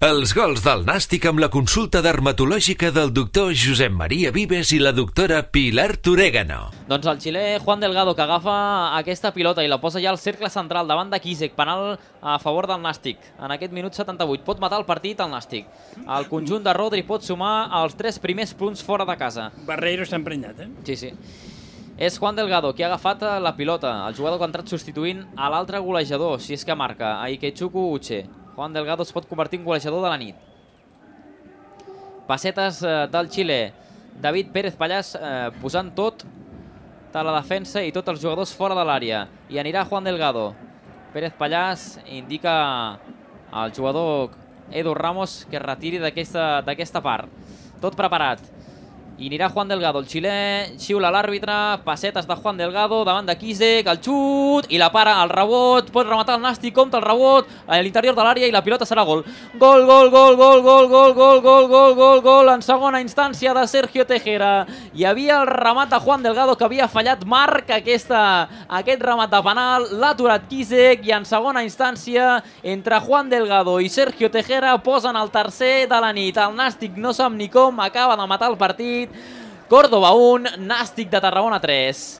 Els gols del Nàstic amb la consulta dermatològica del doctor Josep Maria Vives i la doctora Pilar Torégano. Doncs el xilè Juan Delgado, que agafa aquesta pilota i la posa ja al cercle central davant de Kisek, penal a favor del Nàstic. En aquest minut 78 pot matar el partit el Nàstic. El conjunt de Rodri pot sumar els 3 primers punts fora de casa. Barreiro està emprenyat, Sí, sí. És Juan Delgado qui ha agafat la pilota, el jugador que ha entrat substituint a l'altre golejador, si és que marca, a Ikechukwu Uche. Juan Delgado es pot convertir en golejador de la nit. Passetes del Xile. David Pérez Pallàs posant tot de la defensa i tots els jugadors fora de l'àrea. I anirà Juan Delgado. Pérez Pallàs indica al jugador Edu Ramos que es retiri d'aquesta part. Tot preparat. I anirà Juan Delgado, el xilè, xiula l'àrbitre, passetes de Juan Delgado, davant de Kisek, el xut, i la para, el rebot, pot rematar el Nàstic, compta el rebot, a l'interior de l'àrea i la pilota serà gol. Gol, gol, gol, gol, gol, gol, gol, gol, gol, gol, gol, en segona instància de Sergio Tejera. Hi havia el remat de Juan Delgado que havia fallat, marca aquest remat de penal, l'ha aturat Kisek i en segona instància, entre Juan Delgado i Sergio Tejera posen el tercer de la nit. El Nàstic no sap ni com, acaba de matar el partit. Córdoba 1, Nàstic de Tarragona 3.